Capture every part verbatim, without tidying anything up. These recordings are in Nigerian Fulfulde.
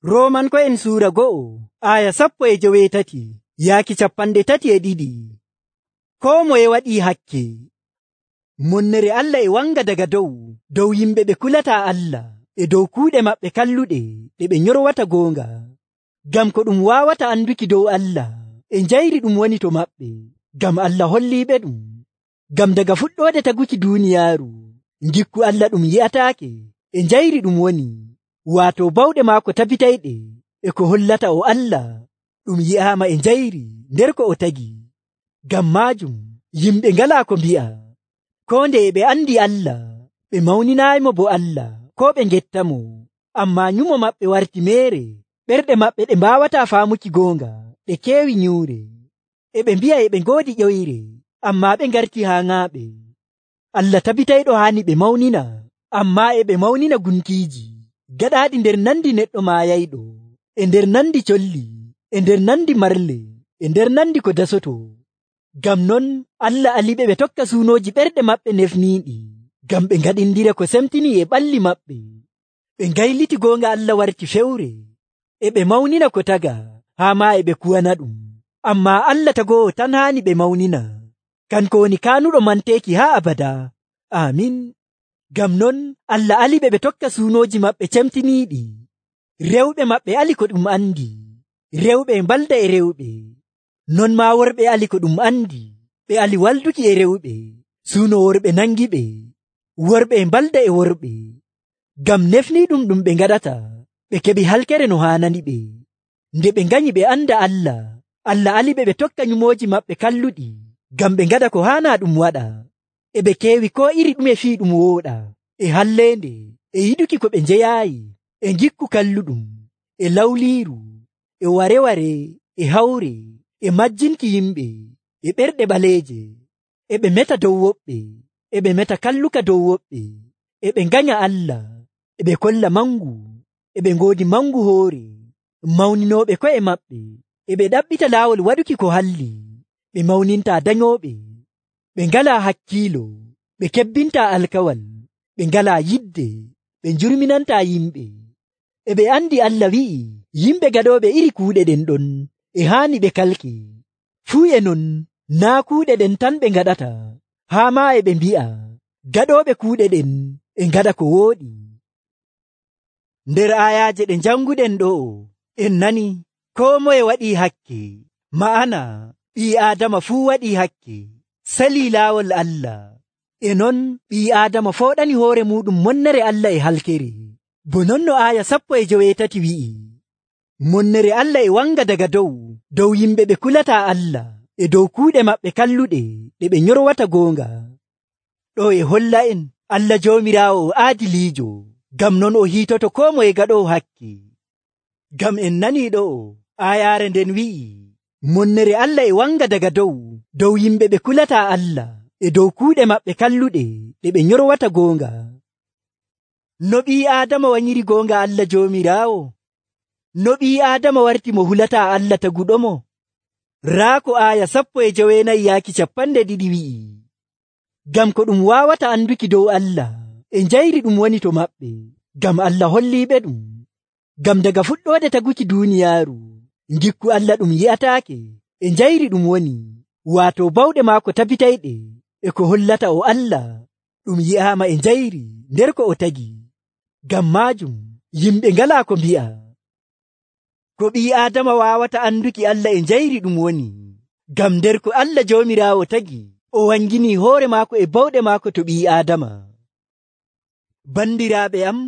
Roomanko'en suura go'o aya sappo e joweetati yaaki capanɗe tati e ɗiɗi. Koo moye waɗii hakke. Monnere Allah e wanga daga dow dow yimɓe ɓe kulataa Allah e dow kuuɗe maɓɓe kalluɗe ɗe ɓe nyorwata goonga. Ngam ko ɗum waawata anduki dow Allah e njayri ɗum woni to maɓɓe, ngam Allah holliiɓe ɗum. Ngam daga fuɗɗoode taguki duuniyaaru, ngikku Allah ɗum yi'ataake e njayri ɗum woni, waato bawɗe maako tabitayɗe e ko hollata o Allah ɗum yi'aama e njayri nder ko o tagi. Ngam maajum yimɓe ngalaa ko mbi'a. Koo nde ɓe andi Allah, ɓe mawninaaymo bo Allah koo ɓe ngettamo, ammaa nyumo maɓɓe warti meere. Ɓerɗe maɓɓe ɗe mbaawataa faamuki goonga ɗe keewi nyuure. E ɓe mbi'a e ɓe ngoodi ƴoyre, ammaa ɓe ngarti haaŋaaɓe. Allah tabitayɗo haani ɓe mawnina, ammaa e ɓe mawnina gunkiiji gaɗaaɗi nder nandi neɗɗo maayayɗo, e nder nandi colli, e nder nandi marle, e nder nandi ko dasoto. Ngam non Allah aliɓe ɓe tokka suunooji ɓerɗe maɓɓe nefniiɗi, ngam ɓe ngaɗindira ko semtinii e ɓalli maɓɓe. Ɓe ngayliti goonga Allah warti fewre, e ɓe mawnina ko taga, haa maa e ɓe kuwana ɗum. Ammaa Allah tagoowo tan haani ɓe mawnina, kanko woni kaanuɗo manteeki haa abada. Aamin. Ngam non Allah aliɓe ɓe tokka suunooji maɓɓe cemtiniiɗi. Rewɓe maɓɓe ali ko ɗum andi, rewɓe e mbalda e rewɓe. Non maa worɓe ali ko ɗum andi, ɓe ali walduki e rewɓe. Suuno worɓe nangi ɓe, worɓe e mbalda e worɓe. Ngam nefniiɗum ɗum ɓe ngaɗata, ɓe keɓi halkere no haanani ɓe. Nde ɓe nganyi ɓe anda Allah, Allah aliɓe ɓe tokka nyumooji maɓɓe kalluɗi, ngam ɓe ngaɗa ko haanaa ɗum waɗa. E ɓe keewi koo iri ɗume fii ɗum wooɗa, e halleende, e yiɗuki ko ɓe njeyaayi, e ngikku kalluɗum, e lawliiru, e ware-ware, e hawre, e majjinki yimɓe, e ɓerɗe ɓaleeje. E ɓe meta dow woɓɓe, e ɓe meta kalluka dow woɓɓe. E ɓe nganya Allah, e ɓe kolla mangu, e ɓe ngoodi mangu hoore, mawninooɓe ko'e maɓɓe. E ɓe ɗaɓɓita laawol waɗuki ko halli, ɓe mawnintaa danyooɓe. Ɓe ngalaa hakkiilo, ɓe kebbintaa alkawal, ɓe ngalaa yidde, ɓe njurminantaa yimɓe. E ɓe andi Allah wi'i yimɓe gaɗooɓe iri kuuɗe ɗen ɗon e haani ɓe kalke. Fuu e non naa kuuɗe ɗen tan ɓe ngaɗata, haa maa e ɓe mbi'a gaɗooɓe kuuɗe ɗen e ngaɗa ko wooɗi. Nder aayaaje ɗe njanguɗen ɗo'o en nani koo moye waɗii hakke, ma'ana ɓii Aadama fuu waɗii hakke, salii laawol Allah. E non ɓii Aadama fooɗani hoore muuɗum monnere Allah e halkere. Bo non no aaya sappo e joweetati wi'i, monnere Allah e wanga daga dow dow yimɓe ɓe kulataa Allah e dow kuuɗe maɓɓe kalluɗe ɗe ɓe nyorwata goonga. Ɗo e holla en Allah Joomiraawo o aadiliijo, ngam non o hiitoto koo moye gaɗoowo hakke. Ngam en nanii ɗo'o aayaare nden wi'i monnere Allah e wanga daga dow dow yimɓe ɓe kulataa Allah e dow kuuɗe maɓɓe kalluɗe ɗe ɓe nyorwata goonga. No ɓii Aadama wanyiri goonga Allah Joomiraawo? No ɓii Aadama warti mo hulataa Allah taguɗomo? Raa ko aaya sappo e joweenayi yaaki capanɗe ɗiɗi wi'i. Ngam ko ɗum waawata anduki dow Allah e njayri ɗum woni to maɓɓe, ngam Allah holliiɓe ɗum. Ngam daga fuɗɗoode taguki duuniyaaru, ngikku Allah ɗum yi'ataake e njayri ɗum woni, waato bawɗe maako tabitayɗe e ko hollata o Allah ɗum yi'aama e njayri nder ko o tagi. Ngam maajum yimɓe ngalaa ko mbi'a. Ko ɓii Aadama waawata anduki Allah e njayri ɗum woni, ngam nder ko Allah Joomiraawo tagi, o wanginii hoore maako e bawɗe maako to ɓii Aadama. Bandiraaɓe am,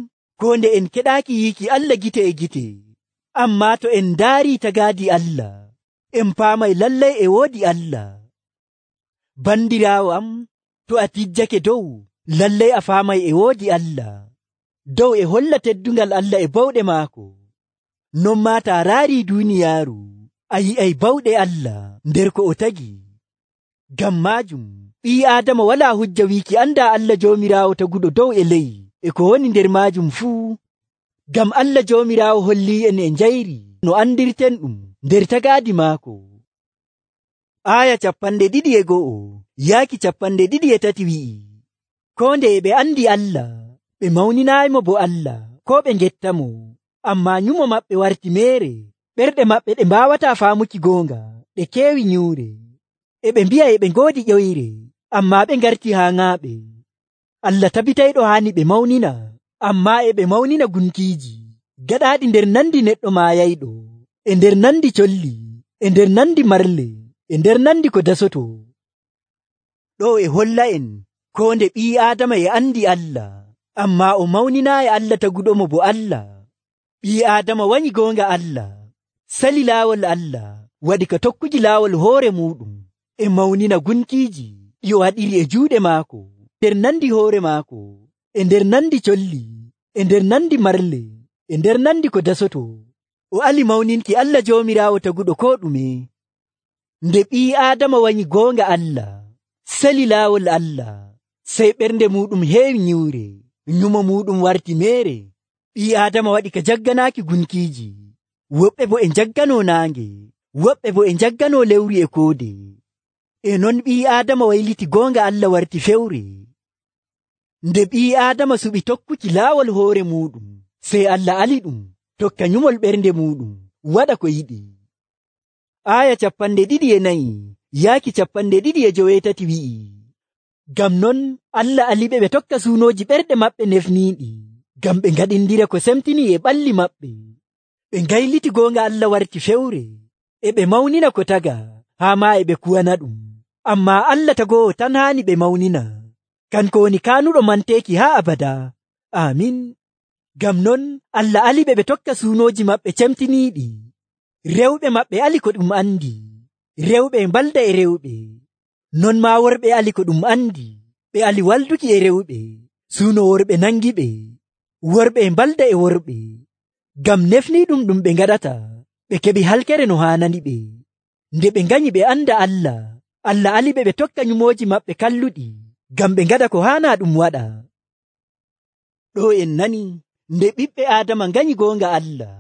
koo nde en keɗaaki yiiki Allah gite e gite, ammaa to en ndaarii tagaadi Allah, en paamay lallay e woodi Allah. Bandiraawo am, to a tijjake dow, lallay a faamay e woodi Allah. Dow e holla teddungal Allah e bawɗe maako. Non maa taa raarii duuniyaaru, a yi'ay bawɗe Allah nder ko o tagi. Ngam maajum ɓii Aadama walaa hujja wiiki andaa Allah Joomiraawo taguɗo dow e ley e ko woni nder maajum fuu. Ngam Allah Joomiraawo hollii en e njayri no andirten ɗum nder tagaadi maako. Aaya capanɗe ɗiɗi e go'o yaaki capanɗe ɗiɗi e tati wi'i, koo nde ɓe andi Allah, ɓe mawninaaymo bo Allah koo ɓe ngettamo, ammaa nyumo maɓɓe warti meere. Ɓerɗe maɓɓe ɗe mbaawataa faamuki goonga, ɗe keewi nyuure. E ɓe mbi'a e ɓe ngoodi ƴoyre, ammaa ɓe ngarti haaŋaaɓe. Allah tabitayɗo haani ɓe mawnina, ammaa e ɓe mawnina gunkiiji, gaɗaaɗi nder nandi neɗɗo maayayɗo, e nder nandi colli, e nder nandi marle, e nder nandi ko dasoto. Ɗo e holla'en koo nde ɓii Aadama e andi Allah, ammaa o mawninaayi Allah taguɗomo bo Allah. Ɓii Aadama wanyi goonga Allah, sali laawol Allah, waɗi ka tokkuki laawol hoore muuɗum, e mawnina gunkiiji ɗi o waɗiri e juuɗe maako, nder nandi hoore maako, e nder nandi colli, e nder nandi marle, e nder nandi ko dasoto. O ali mawninki Allah Joomiraawo taguɗo koo ɗume. Nde ɓii Aadama wanyi goonga Allah, sali laawol Allah, sey ɓernde muuɗum heewi nyiwre, nyumo muuɗum warti meere. Ɓii Aadama waɗi ka jagganaaki gunkiiji, woɓɓe bo e njagganoo naange, woɓɓe bo e njagganoo lewru e koode. E non ɓii Aadama wayliti goonga Allah warti fewre. Nde ɓii Aadama suɓi tokkuki laawol hoore muuɗum, sey Allah ali ɗum tokka nyumol ɓernde muuɗum, waɗa ko yiɗi. Aaya capanɗe ɗiɗi e nayi yaaki capanɗe ɗiɗi e joweetati wi'i, ngam non Allah aliɓe ɓe tokka suunooji ɓerɗe maɓɓe nefniiɗi, ngam ɓe ngaɗindira ko semtinii e ɓalli maɓɓe. Ɓe ngayliti goonga Allah warti fewre, e ɓe mawnina ko taga, haa maa e ɓe kuwana ɗum. Ammaa Allah tagoowo tan haani ɓe mawnina, kanko woni kaanuɗo manteeki haa abada. Aamin. Ngam non Allah aliɓe ɓe tokka suunooji maɓɓe cemtiniiɗi. Rewɓe maɓɓe ali ko ɗum andi, rewɓe e mbalda e rewɓe. Non maa worɓe ali ko ɗum andi, ɓe ali walduki e rewɓe, suuno worɓe nangiɓe, worɓe e mbalda e worɓe. Ngam nefniiɗum ɗum ɓe ngaɗata, ɓe keɓi halkere no haanani ɓe. Nde ɓe nganyi ɓe anda Allah, Allah aliɓe ɓe tokka nyumooji maɓɓe kalluɗi, ngam ɓe ngaɗa ko haanaa ɗum waɗa. Ɗo en nani, nde ɓiɓɓe Aadama nganyi goonga Allah,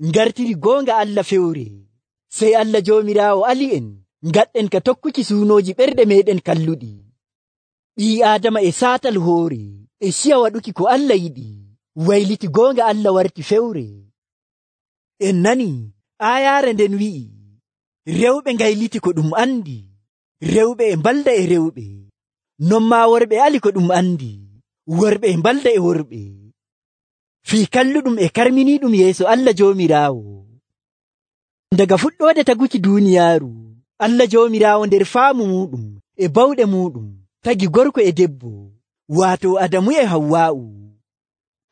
ngartiri goonga Allah fewre, sey Allah Joomiraawo ali en ngaɗɗen ka tokkuki suunooji ɓerɗe meeɗen kalluɗi. Ɓii Aadama e saatal hoore, e ciya waɗuki ko Allah yiɗi, wayliti goonga Allah warti fewre. En nani aayaare nden wi'i, rewɓe ngayliti ko ɗum andi, rewɓe e mbalda e rewɓe. Non maa worɓe ali ko ɗum andi, worɓe e mbalda e worɓe. Fii kalluɗum e karminiiɗum yeeso Allah Joomiraawo. Daga fuɗɗoode taguki duuniyaaru, Allah Joomiraawo nder faamu muuɗum e bawɗe muuɗum tagi gorko e debbo, waato Adamu e Hawwaa'u.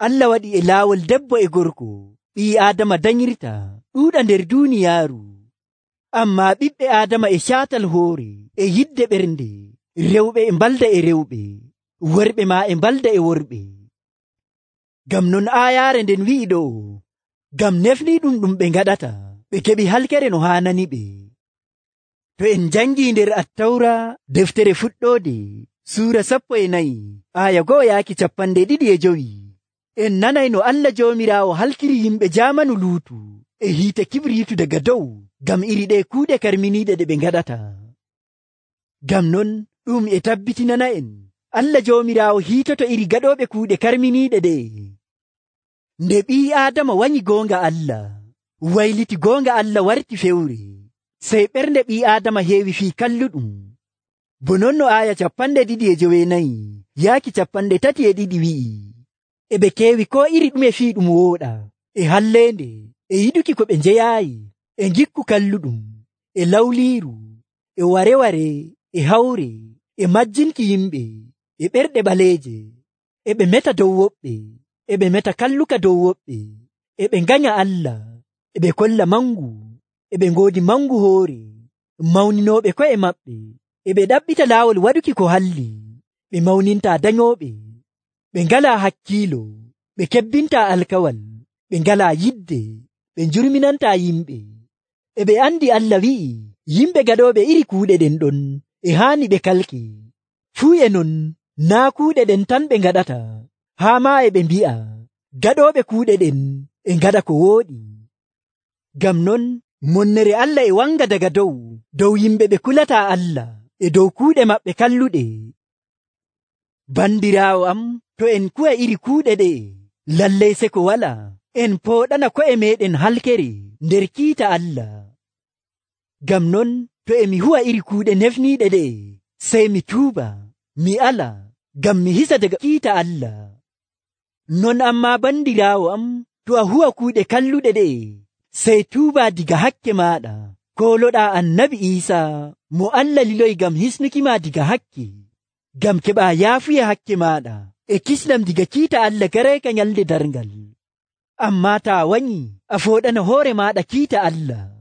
Allah waɗi e laawol debbo e gorko ɓii Aadama danyirta ɗuuɗa nder duuniyaaru. Ammaa ɓiɓɓe Aadama e caatal hoore e yidde ɓernde, rewɓe e mbalda e rewɓe, worɓe maa e mbalda e worɓe. Ngam non aayaare nden wi'i ɗo, ngam nefniiɗum ɗum ɓe ngaɗata, ɓe keɓi halkere no haanani ɓe. To en njangii nder Attawra deftere fuɗɗoode suura sappo e nayi aaya go'o yaaki capanɗe ɗiɗi e jowi, en nanay no Allah Joomiraawo halkiri yimɓe jaamanu Luutu e hiite kibriitu daga dow ngam iri ɗe kuuɗe karminiiɗe ɗe ɓe ngaɗata. Ngam non ɗum e tabbitinana en Allah Joomiraawo hiitoto iri gaɗooɓe kuuɗe karminiiɗe ɗe. Nde ɓii Aadama wanyi goonga Allah, wayliti goonga Allah warti fewre, sey ɓernde ɓii Aadama heewi fii kalluɗum. Bo non no aaya capanɗe ɗiɗi e joweenayi yaaki capanɗe tati e ɗiɗi wi'i, e ɓe keewi ko iri ɗume fii ɗum wooɗa, e halleende, e yiɗuki ko ɓe njeyaayi, e ngikku kalluɗum, e lawliiru, e ware-ware, e hawre, e majjinki yimɓe, e ɓerɗe ɓaleeje, e ɓe meta dow woɓɓe, e ɓe meta kalluka dow woɓɓe, e ɓe nganya Allah, e ɓe kolla mangu, e ɓe ngoodi mangu hoore, mawninooɓe ko'e maɓɓe, e ɓe ɗaɓɓita laawol waɗuki ko halli, ɓe mawnintaa danyooɓe, ɓe ngalaa hakkiilo, ɓe kebbintaa alkawal, ɓe ngalaa yidde, ɓe njurminantaa yimɓe, e ɓe andi Allah wi'i yimɓe gaɗooɓe iri kuuɗe ɗen ɗon e haani ɓe kalke. Fuu e non naa kuuɗe ɗen tan ɓe ngaɗata, haa maa e ɓe mbi'a gaɗooɓe kuuɗe ɗen e ngaɗa ko wooɗi. Ngam non monnere Allah e wanga daga dow dow yimɓe ɓe kulataa Allah e dow kuuɗe maɓɓe kalluɗe. Bandiraawo am, to en kuwa iri kuuɗe ɗe, lallay seko wala, en pooɗana ko'e meeɗen halkere nder kiita Allah. Ngam non to e mi huwa iri kuuɗe nefniiɗe ɗe'e, sey mi tuuba, mi ala, ngam mi hisa daga kiita Allah. Non ammaa bandiraawo am, to a huwa kuuɗe kalluɗe ɗe'e, sey tuuba diga hakke maaɗa, kooloɗaa Annabi Iisaa mo Allah liloyi ngam hisnukima diga hakke, ngam keɓaa yaafuya hakke maaɗa e kisndam diga kiita Allah gareeka nyalnde darngal. Ammaa taa wanyi, a fooɗana hoore maaɗa kiita Allah.